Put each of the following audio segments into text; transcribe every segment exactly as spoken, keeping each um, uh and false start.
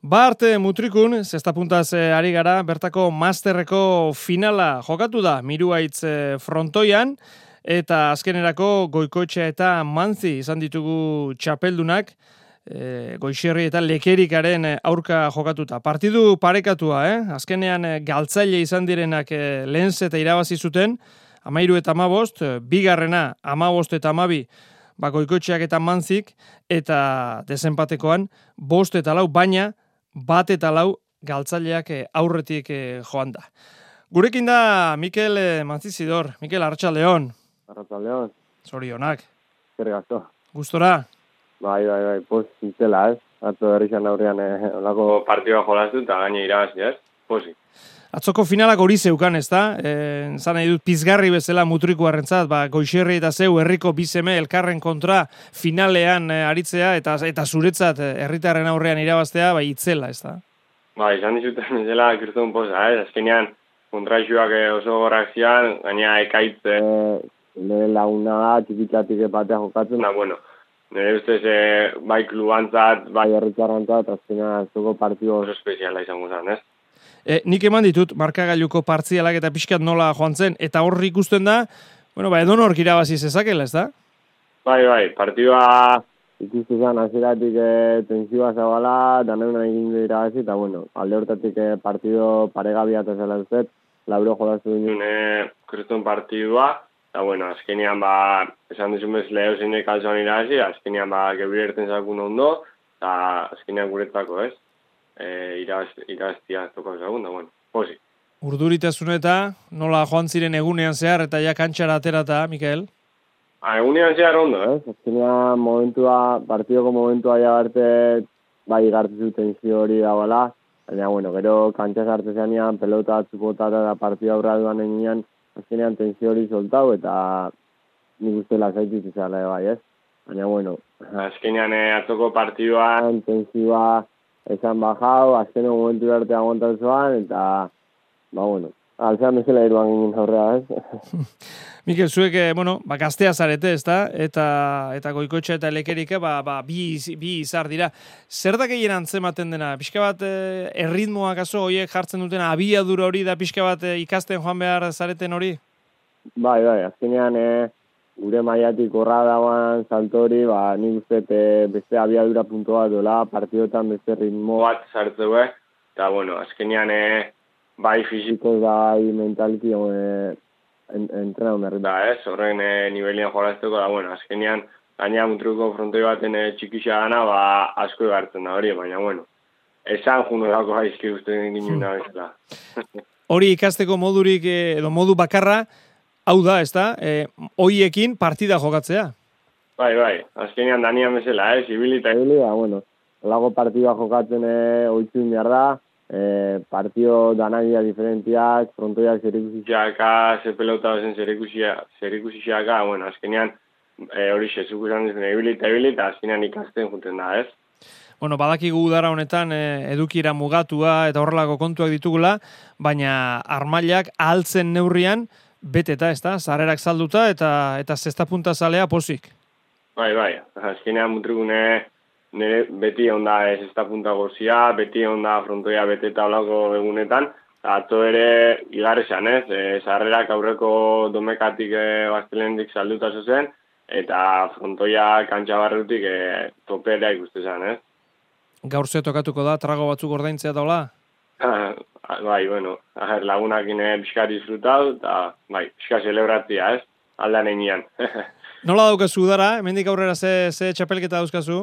Bart Mutrikun, zesta puntaz ari gara, bertako masterreko finala jokatu da Miruaitz frontoian, eta azkenerako Goikoetxea eta Manzi izan ditugu txapeldunak, e, Goixerri eta Lekerikaren aurka jokatuta. Partidu parekatua, eh? Azkenean galtzaile izan direnak e, lehen zeta irabazi zuten, amairu eta amabost, bigarrena amabost eta amabi, ba, Goikoetxeak eta Manzik, eta desenpatekoan bost eta lau, baina bat eta lau galtzaileak aurretik joan da. Gurekin da Mikel Manzizidor. Mikel, Arratsaldeon. Arratsaldeon. Zorionak. Zergazo. Gustora? Bai, bai, bai, poz zintela, ez? Atzo berrizan aurrean eh, olako partidua jolaztu eta gaine irabazi, ez? Pozi. Atzoko finalak hori zeukan, ez da? E, zan nahi dut pizgarri bezala Mutrikuarrentzat, ba, Goixerri eta zeu herriko bizeme elkarren kontra finalean e, aritzea, eta eta zuretzat herritarren aurrean irabaztea, bai, itzela, ez da? Ba, izan dizuten bezala kirtun poza, ez? Azkenean, kontraixuak oso gorrak zian, gaina ekaitz e, nire laguna da, txikitzatik epatea jokatzen, da, bueno, nire ustez e, bai klubantzat, bai herritarrantzat, azkenean zuko partidu oso espeziala izango zen, ez? E, nik eman ditut markagailuko partzialak eta pixkat nola joan zen, eta horri ikusten da, bueno, ba, edonork irabazi zezakela, ez da? Bai, bai, partidua ikustu zen, azeratik e, tensioa zabala, daneuna egin du irabazi, eta bueno, alde hortatik e, partido paregabia eta zela duzet, laburo jolaztu duen e, kriston partidua, eta bueno, azkenean ba, esan duzun bez leho zeinek altzuan irabazi, azkenean ba, gebirerten zakun ondo, eta azkenean guretzako, ez? E, iraz, iraztia tokau zagun, da, bueno, posi. Urduritasun eta nola joan ziren egunean zehar eta ja kantxara aterata, Mikel? Ha, egunean zehar ondo, ez? Eh? Azkenean momentua, partidoko momentua ja barte, bai gartu zuten zio hori da bala, baina, bueno, gero kantxa sartu zenean, pelota atzupotata da partida aurra duan eginean, azkenean tensio hori soltau, eta nik uste lasaitik izala bai, ez? Baina, bueno, azkenean eh, atzoko partiduan tensioa esan bajau, azkeno momentu arte aguantatzuan, eta, ba, bueno, alzean bezala iruan ginen aurrea, ez? Mikel, zuek, bueno, ba, gaztea zarete, ez da? Eta, eta Goikoetxea eta Lekerike, ba, ba, bi, bi izar dira. Zer da gehien antzematen dena? Pixka bat, eh, erritmoak aso, horiek jartzen dutena, abiadura hori da pixka bat eh, ikasten joan behar zareten hori? Bai, bai, azkenean, eh, gure maiatik horra dagoan saltori, ba, nik uste beste abiadura puntua dola, partidotan beste ritmo bat sartzeu, eta, bueno, azkenean, e, bai fizikoz da, bai mentaliki, e, en, entrena unerri da, ez? Horren e, nivelian jolazteko, da, bueno, azkenean, gaina Mutrikuko frontoi baten e, txikixa gana, ba, asko egartzen da hori, baina, bueno, esan junorako haizki uste ginen bezala. Hori ikasteko modurik, edo modu bakarra, hau da, ez da, e, hoiekin partida jokatzea. Bai, bai, azkenean danian bezala, ez, eh? Ibili eta ibili, ba, bueno, lago partida jokatzen e, oitzun behar da, e, partido danagia diferentiak, frontoiak zerikusiaka, ze pelota zen zerikusiaka, bueno, azkenean e, hori xezuk izan dizen ibili eta ibili, eta azkenean ikasten juten da, ez? Bueno, badakigu udara honetan e, edukira mugatua eta horrelako kontuak ditugula, baina armailak ahaltzen neurrian, beteta, ez da, zarrerak salduta eta eta zesta punta zalea pozik. Bai, bai, azkenean Mutrikune nire beti onda zesta punta gozia, beti onda frontoia beteta olako egunetan, eta atzo ere igarresan, ez, e, zarrerak aurreko domekatik e, baztelendik salduta zuzen, eta frontoia kantxa barrutik e, topera ikuste zen, ez? Gaur ze tokatuko da, trago batzuk ordaintzea daula? Bai, bueno, aher, lagunak ine pixka disfrutau, eta bai, pixka celebratzia, ez? Aldan egian. Nola daukazu udara? Hemendik aurrera ze, ze txapelketa dauzkazu?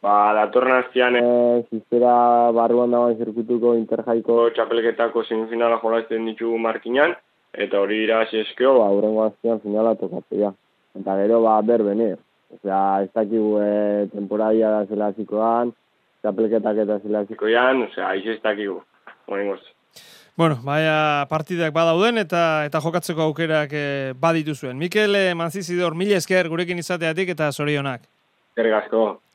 Ba, datorren aztian, e, ziztera barruan dagoen zirkutuko interjaiko txapelketako semifinala jolazten ditugu markinan, eta hori irabazi eskeo, ba, hurrengo aztian finala tokatzea. Eta gero, ba, berbene. Osea, ez dakigu e, temporadia da zela zikoan, txapelketak eta zela zikoan, osea, aiz ez dakigu. Bueno, baina partidak badauden eta eta jokatzeko aukerak eh, baditu zuen. Mikel Manzizidor, mila esker gurekin izateatik eta zorionak. Eskerrik asko.